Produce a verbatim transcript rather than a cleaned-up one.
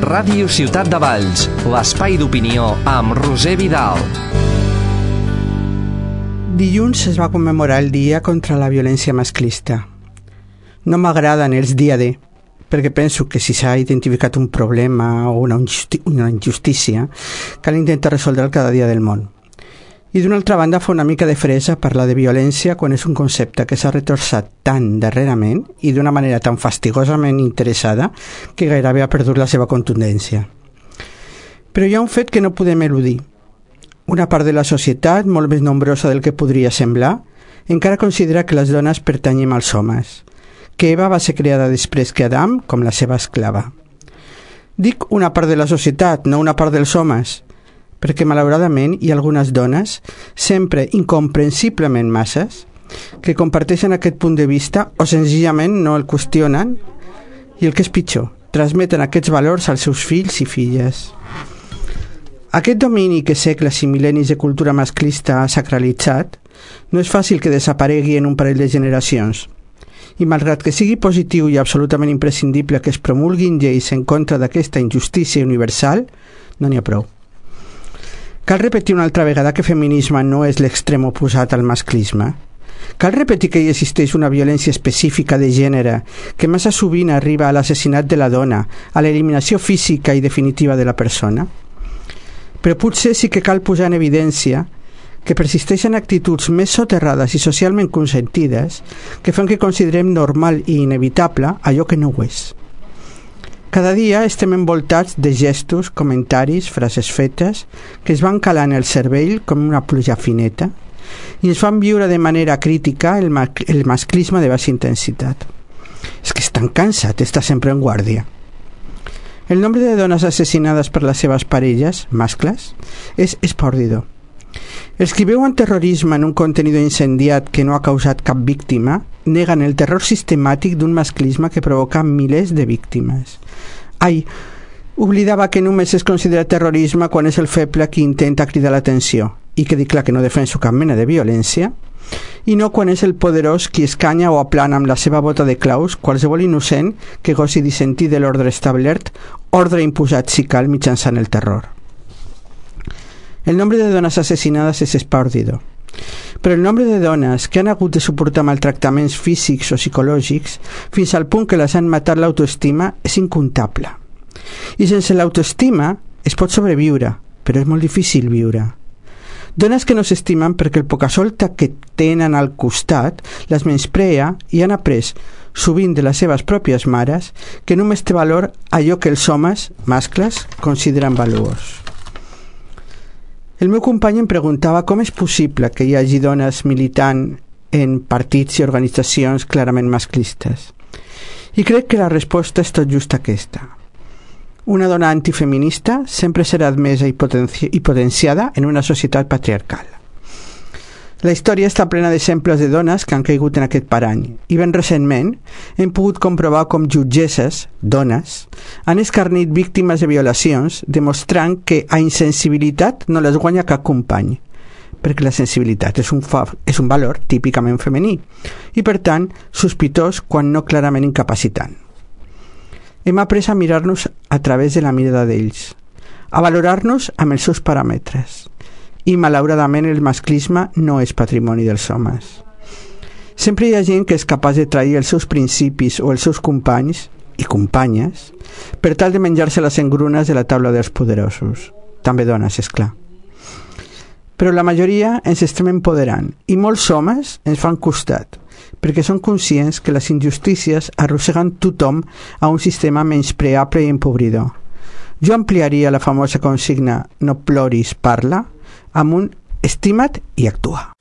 Ràdio Ciutat de Valls, l'espai d'opinió amb Roser Vidal. Dilluns es va commemorar el dia contra la violència masclista. No m'agraden els dia D, perquè penso que si s'ha identificat un problema o una, injusti- una injustícia, cal intentar resoldre'l cada dia del món. I d'una altra banda fa una mica de fresa parlar de violència quan és un concepte que s'ha retorçat tant darrerament i d'una manera tan fastigosament interessada que gairebé ha perdut la seva contundència. Però hi ha un fet que no podem eludir. Una part de la societat, molt més nombrosa del que podria semblar, encara considera que les dones pertanyem als homes, que Eva va ser creada després que Adam com la seva esclava. Dic una part de la societat, no una part dels homes, perquè malauradament hi ha algunes dones, sempre incomprensiblement masses, que comparteixen aquest punt de vista o senzillament no el qüestionen i el que és pitjor, transmeten aquests valors als seus fills i filles. Aquest domini que segles i mil·lennis de cultura masclista ha sacralitzat no és fàcil que desaparegui en un parell de generacions. I malgrat que sigui positiu i absolutament imprescindible que es promulguin lleis en contra d'aquesta injustícia universal, no n'hi ha prou. Cal repetir una altra vegada que feminisme no és l'extrem oposat al masclisme. Cal repetir que hi existeix una violència específica de gènere que massa sovint arriba a l'assassinat de la dona, a l'eliminació física i definitiva de la persona. Però potser sí que cal posar en evidència que persisteixen actituds més soterrades i socialment consentides que fan que considerem normal i inevitable allò que no ho és. Cada dia estem envoltats de gestos, comentaris, frases fetes que es van calant el cervell com una pluja fineta i ens fan viure de manera crítica el, ma- el masclisme de baixa intensitat. És que és tan cansat estar sempre en guàrdia. El nombre de dones assassinades per les seves parelles, mascles, és espòrdido. Els qui veuen terrorisme en un contenidor incendiat que no ha causat cap víctima neguen el terror sistemàtic d'un masclisme que provoca milers de víctimes. Ai, oblidava que només es considera terrorisme quan és el feble qui intenta cridar l'atenció i que dic clar que no defenso cap mena de violència i no quan és el poderós qui escanya o aplana amb la seva bota de claus qualsevol innocent que gosi dissentir de l'ordre establert, ordre imposat si cal mitjançant el terror. El nombre de dones assassinades és espòrdido, però el nombre de dones que han hagut de suportar maltractaments físics o psicològics fins al punt que les han matat l'autoestima és incontable. I sense l'autoestima es pot sobreviure, però és molt difícil viure. Dones que no s'estimen perquè el pocasolta que tenen al costat les menysprea i han après, sovint de les seves pròpies mares, que només té valor allò que els homes, mascles, consideren valuós. El meu company em preguntava com és possible que hi hagi dones militant en partits i organitzacions clarament masclistes. I crec que la resposta és tot just aquesta. Una dona antifeminista sempre serà admesa i, potenci- i potenciada en una societat patriarcal. La història està plena d'exemples de dones que han caigut en aquest parany i ben recentment hem pogut comprovar com jutgesses, dones, han escarnit víctimes de violacions demostrant que a insensibilitat no les guanya cap company, perquè la sensibilitat és un, fa- és un valor típicament femení i per tant sospitós quan no clarament incapacitant. Hem après a mirar-nos a través de la mirada d'ells, a valorar-nos amb els seus paràmetres. I malauradament el masclisme no és patrimoni dels homes. Sempre hi ha gent que és capaç de trair els seus principis o els seus companys i companyes per tal de menjar-se les engrunes de la taula dels poderosos. També dones, és clar. Però la majoria ens estem empoderant i molts homes ens fan costat perquè són conscients que les injustícies arrosseguen tothom a un sistema menyspreable i empobridor. Jo ampliaria la famosa consigna no ploris, parla amb un estima't i actua.